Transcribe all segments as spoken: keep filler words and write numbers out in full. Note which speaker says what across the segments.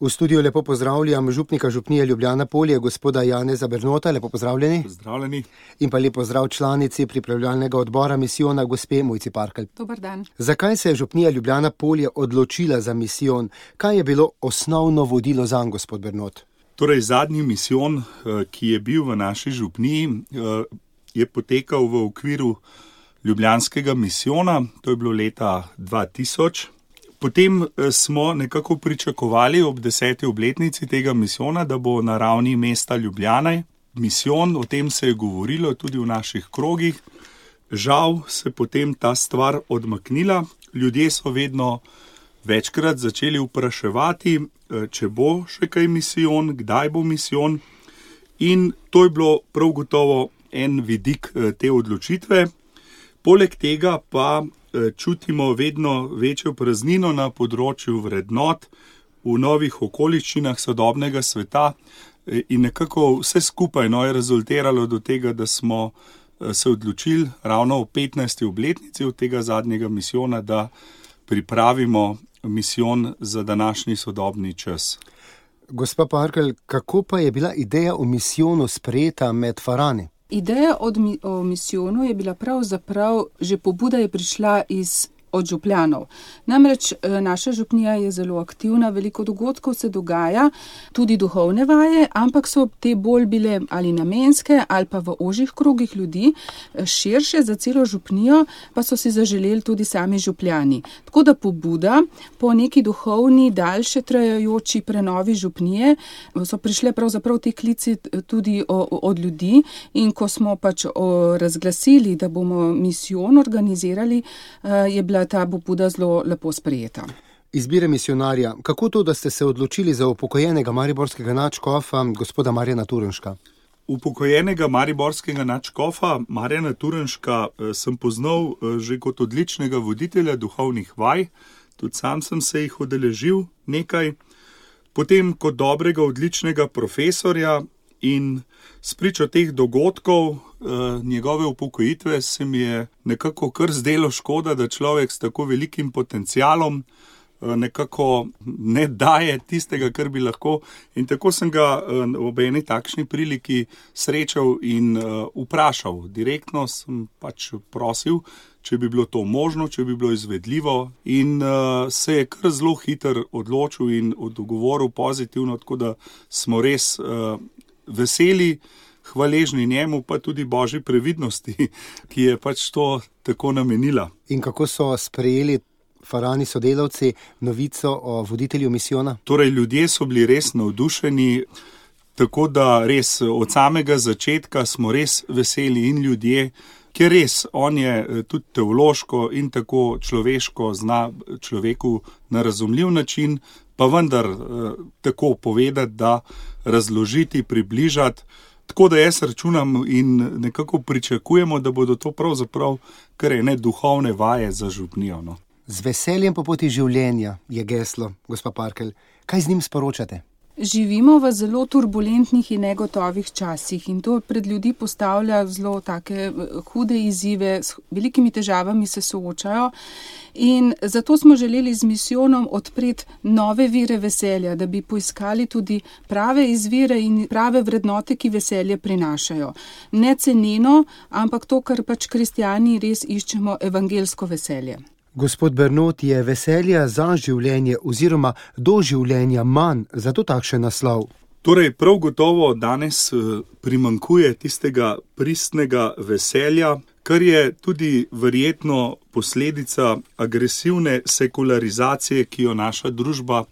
Speaker 1: V studiu lepo pozdravljam župnika župnije Ljubljana Polje, gospoda Janeza Bernota, lepo pozdravljeni.
Speaker 2: Pozdravljeni.
Speaker 1: In pa lepo pozdrav članici pripravljalnega odbora misijona, gospe Mojci Parkelj.
Speaker 3: Dober dan.
Speaker 1: Zakaj se je župnija Ljubljana Polje odločila za misijon? Kaj je bilo osnovno vodilo zanj, gospod Bernot?
Speaker 2: Torej, zadnji misijon, ki je bil v naši župniji, je potekal v okviru ljubljanskega misijona, to je bilo leta dva tisoč. Potem smo nekako pričakovali ob deseti obletnici tega misijona, da bo na ravni mesta Ljubljane misijon, o tem se je govorilo tudi v naših krogih. Žal se potem ta stvar odmaknila, ljudje so vedno večkrat začeli vpraševati, če bo še kaj misijon, kdaj bo misijon, in to je bilo prav gotovo en vidik te odločitve. Poleg tega pa čutimo vedno večjo praznino na področju vrednot v novih okoliščinah sodobnega sveta in nekako vse skupaj no, je rezultiralo do tega, da smo se odločili ravno v petnajsti obletnici od tega zadnjega misijona, da pripravimo misijon za današnji sodobni čas.
Speaker 1: Gospa Parkelj, kako pa je bila ideja o misijonu sprejeta med Farani?
Speaker 3: Ideja od, o misijonu je bila pravzaprav, že pobuda je prišla iz od župljanov. Namreč naša župnija je zelo aktivna, veliko dogodkov se dogaja, tudi duhovne vaje, ampak so te bolj bile ali namenske ali pa v ožjih krogih ljudi, širše za celo župnijo, pa so si zaželeli tudi sami župljani. Tako da pobuda po neki duhovni, daljše trajajoči prenovi župnije so prišle pravzaprav te klici tudi od ljudi, in ko smo pač razglasili, da bomo misijon organizirali, je bila ta pobuda zelo lepo sprejeta.
Speaker 1: Izbire misionarja. Kako to, da ste se odločili za upokojenega mariborskega nadškofa, gospoda Marjana Turnška?
Speaker 2: Upokojenega mariborskega nadškofa Marjana Turnška sem poznal že kot odličnega voditelja duhovnih vaj, tudi sam sem se jih udeležil nekaj, potem kot dobrega, odličnega profesorja, in spričo teh dogodkov, njegove upokojitve, se mi je nekako kar zdelo škoda, da človek s tako velikim potencialom nekako ne daje tistega, kar bi lahko. In tako sem ga ob eni takšni priliki srečal in vprašal. Direktno sem pač prosil, če bi bilo to možno, če bi bilo izvedljivo, in se je kar zelo hiter odločil in odgovoril pozitivno, tako da smo res veseli, hvaležni njemu, pa tudi Božji previdnosti, ki je pač to tako namenila.
Speaker 1: In kako so sprejeli Farani sodelavci novico o voditelju misijona?
Speaker 2: Torej, ljudje so bili res navdušeni, tako da res od samega začetka smo res veseli in ljudje, ker res on je tudi teološko in tako človeško zna človeku na razumljiv način, pa vendar tako povedati, da razložiti, približati. Tako da jaz računam in nekako pričakujemo, da bodo to pravzaprav kar ene duhovne vaje za župnijo. No.
Speaker 1: Z veseljem po poti življenja je geslo, gospa Parkelj. Kaj z njim sporočate?
Speaker 3: Živimo v zelo turbulentnih in negotovih časih in to pred ljudi postavlja zelo take hude izzive, s velikimi težavami se soočajo, in zato smo želeli z misijonom odpreti nove vire veselja, da bi poiskali tudi prave izvire in prave vrednote, ki veselje prinašajo. Ne ceneno, ampak to, kar pač kristjani res iščemo, evangelsko veselje.
Speaker 1: Gospod Bernot, je veselja za življenje oziroma do življenja manj, zato takšen naslov?
Speaker 2: Torej, prav gotovo danes primanjkuje tistega pristnega veselja, kar je tudi verjetno posledica agresivne sekularizacije, ki jo naša družba,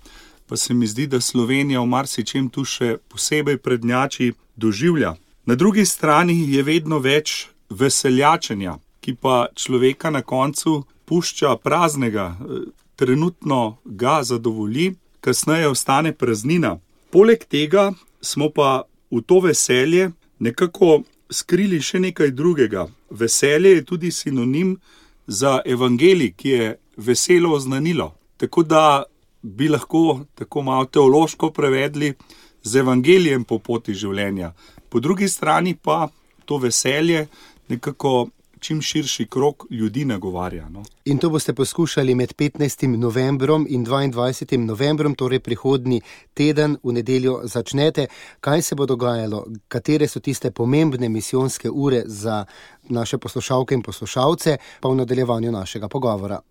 Speaker 2: pa se mi zdi, da Slovenija v marsičem tu še posebej prednjači, doživlja. Na drugi strani je vedno več veseljačenja, ki pa človeka na koncu pušča praznega, trenutno ga zadovolji, kasneje ostane praznina. Poleg tega smo pa v to veselje nekako skrili še nekaj drugega. Veselje je tudi sinonim za evangelij, ki je veselo oznanilo. Tako da bi lahko tako malo teološko prevedli z evangelijem po poti življenja. Po drugi strani pa to veselje nekako čim širši krog ljudi nagovarja. No.
Speaker 1: In to boste poskušali med petnajstim novembrom in dvaindvajsetim novembrom, torej prihodnji teden, v nedeljo začnete. Kaj se bo dogajalo? Katere so tiste pomembne misijonske ure za naše poslušalke in poslušalce, pa v nadaljevanju našega pogovora?